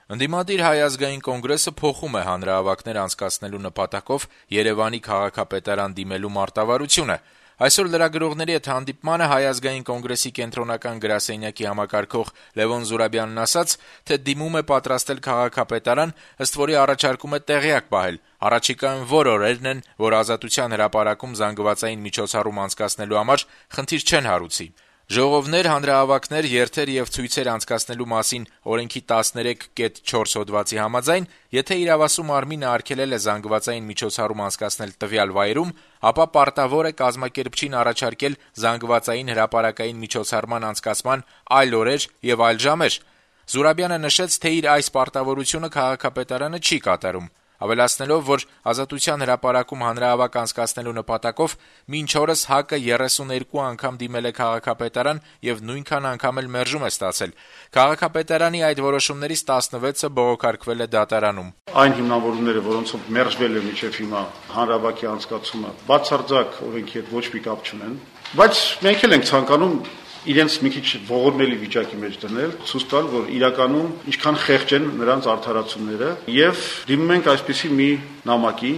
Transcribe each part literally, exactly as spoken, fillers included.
Ընդդիմադիր Հայ ազգային կոնգրեսը փոխում է հանրահավաքներ անցկացնելու նպատակով Երեւանի քաղաքապետարան դիմելու մարտավարությունը։ Այսօր լրագրողների հետ հանդիպմանը Հայ ազգային կոնգրեսի կենտրոնական գրասենյակի համակարգող Լեւոն Զուրաբյանն ասաց, թե դիմում է պատրաստել քաղաքապետարան, ըստ որի առաջարկում է տեղյակ պահել առաջիկայում որ օրերն են, որ Ազատության հրապարակում զանգվածային միջոցառում անցկացնելու համար խնդիր չեն հարուցի։ Ժողովներ, հանրահավաքներ, երթեր եւ ցույցեր անցկացնելու մասին օրենքի տասներեք կետ չորս հոդվածի համաձայն, եթե իրավասու մարմինը արգելել է զանգվածային միջոցառում անցկացնել տվյալ վայրում, ապա պարտավոր է կազմակերպչին առաջարկել զանգվածային հրապարակային միջոցառման անցկացման այլ օրեր եւ այլ ժամեր։ Զուրաբյանը նշեց, թե իր այս պարտավորությունը քաղաքապետարանը չի կատարում, ավելացնելով, որ Ազատության հրապարակում հանրահավաք անցկացնելու նպատակով մինչ օրս ՀԱԿ-ը երեսուներկու անգամ դիմել է քաղաքապետարան եւ նույնքան անգամ էլ մերժում է ստացել։ Քաղաքապետարանի այդ որոշումներից տասնվեցը բողոքարկվել է դատարանում։ Այն հիմնավորումները, որոնցով մերժվել է մինչեւ հիմա հանրահավաքի անցկացումը, բացարձակ օրենքի հետ ոչ մի կապ չունեն, բայց մենք էլ ենք ցանկանում իրենց մի քիչ ողորմելի վիճակի մեջ դնել, ցույց տալ, որ իրականում ինչքան խեղճ են նրանց արդարացումները եւ դիմում ենք այսպիսի մի նամակի։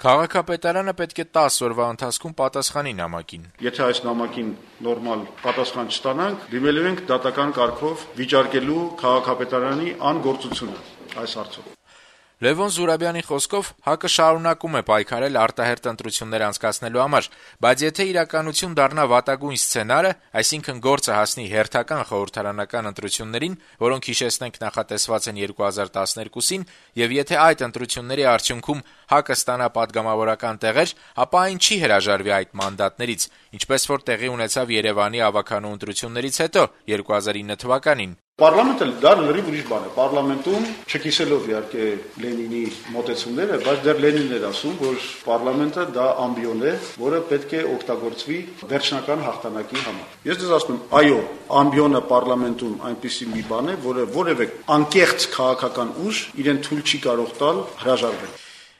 Քաղաքապետարանը պետք է տասը օրվա ընթացքում պատասխանի նամակին։ Եթե այս նամակին նորմալ պատասխան չստանանք, դիմելու ենք դատական կարգով վիճարկելու քաղաքապետարանի անգործությունը այս հարցով։ Լեւոն Զուրաբյանի խոսքով ՀԱԿ-ը շարունակում է պայքարել արտահերթ ընտրություններ անցկացնելու համար, բայց եթե իրականություն դառնա վատագույն սցենարը, այսինքն գործը հասնի հերթական խորհրդարանական ընտրություններին, որոնք հիշեցնենք նախատեսված են երկու հազար տասներկուսին, եւ եթե այդ ընտրությունների արդյունքում ՀԱԿ-ը ստանա պատգամավորական տեղեր, ապա այն չի հրաժարվի այդ մանդատներից, ինչպես որ տեղի ունեցավ Երևանի ավականու ընտրություններից հետո երկու հազար ինը թվականին։ Պարլամենտը դա լրիվ ուրիշ բան է։ Պարլամենտում չկիսելով իհարկե Լենինի մոտեցումները, բայց դեռ Լենինն էր ասում, որ պարլամենտը դա ամբիոն է, որը պետք է օգտագործվի վերջնական հաղթանակի համար։ Ես դες ասում եմ, այո, ամբիոնը պարլամենտում այնպիսի մի բան է, որը որևէ անկեղծ քաղաքական ուժ իրեն թույլ չի կարող տալ հրաժարվել։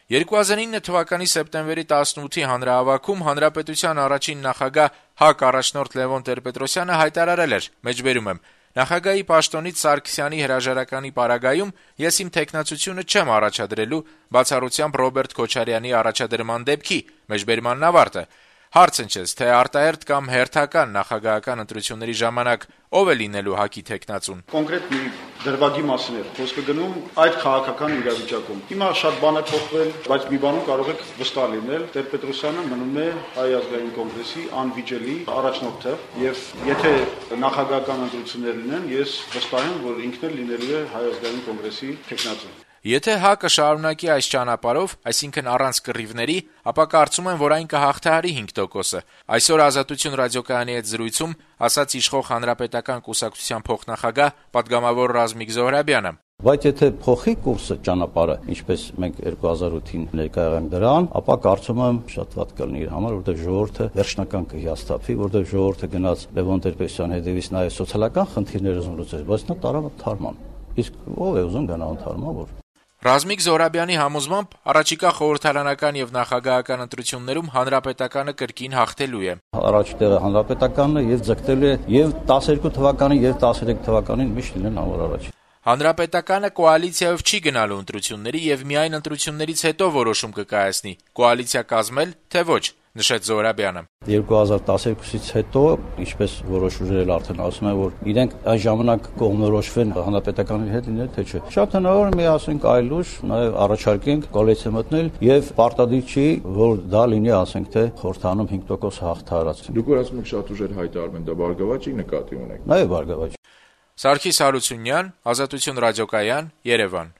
երկու հազար ինը թվականի սեպտեմբերի տասնութի հանրահավաքում հանրապետության առաջին նախագահ ՀԱԿ առաջնորդ Լևոն Տեր-Պետրոսյանը հայտարարել էր. «Մեջբերում եմ, Նախագահի պաշտոնից Սարգսյանի հրաժարականի պարագայում ես իմ թեկնածությունը չեմ առաջադրելու բացառությամբ Ռոբերտ Քոչարյանի առաջադրման դեպքի»։ Մեջբերմանն ավարտը։ Հարց ընչեց, թե արտահերթ կամ հերթական նախագահական ընտրությունների ժամանակ ով է լինելու ՀԱԿ-ի թեկնածուն։ Կոնկրետ մի դրվագի մասին է խոսքը գնում այդ քաղաքական իրավիճակում։ Հիմա շատ բան է փոխվել, բայց մի բանում կարող եք վստահ լինել, Տեր-Պետրոսյանը մնում է Հայ ազգային կոնգրեսի անվիճելի առաջնորդը, եւ եթե նախագահական ընտրություններ լինեն, ես վստահ եմ, որ ինքն էլ լինելու է Հայ ազգային կոնգրեսի թեկնածուն։ Եթե ՀԱԿ-ը շարունակի այս ճանապարհով, այսինքն առանց կռիվների, ապա կարծում եմ, որ այն կհաղթահարի հինգ տոկոսը։ Այսօր Ազատություն ռադիոկայանի հետ զրույցում ասաց իշխող հանրապետական կուսակցության փոխնախագահ պատգամավոր Ռազմիկ Զոհրաբյանը։ Բայց եթե փոխի կուրսը ճանապարհը, ինչպես մենք երկու հազար ութին ներկայ եղանք դրան, ապա կարծում եմ շատ վատ կլինի իր համար, որտեղ ժողովուրդը վերջնական կհիասթափվի, որտեղ ժողովուրդը գնաց Լևոն Տեր-Պետրոսյանի հետևից նաև սոցիալական խնդիրները ուզում լուծել, բայց նա տարավ թարման։ Իսկ ով է ուզում գնա թարմա, որ Ռազմիկ Զոհրաբյանի համոզմամբ առաջիկա խորհրդարանական եւ նախագահական ընտրություններում հանրապետականը կրկին հաղթելու է։ Առաջ տեղը հանրապետականն է եւ ձգտելու է եւ տասներկու թվականին եւ տասներեք թվականին միշտ լինեն համար առաջ։ Հանրապետականը կոալիցիայով չի գնալու ընտրությունների եւ միայն ընտրություններից հետո որոշում կկայացնի՝ կոալիցիա կազմել, թե ոչ, նշեց Զոհրաբյանը։ երկու հազար տասներկուսից հետո, ինչպես որոշ ուժեր արդեն ասում են, որ իրենք այս ժամանակ կողմնորոշվեն հանրապետականի հետ լինել, թե չէ։ Շատ հնարավոր մի ասենք այլ ուժ, նաեւ առաջարկենք կոալիցիա մտնել եւ պարտադիր չի, որ դա լինի, ասենք թե խորհրդանում հինգ տոկոս հաղթահարած։ Դուք որ ասում եք շատ ուժեր հայտարարում են, դա բարգավաճ է նկատի ունեք։ Նաեւ բարգավաճ։ Սարգիս Հարությունյան, Ազատություն ռադիոկայան, Երևան։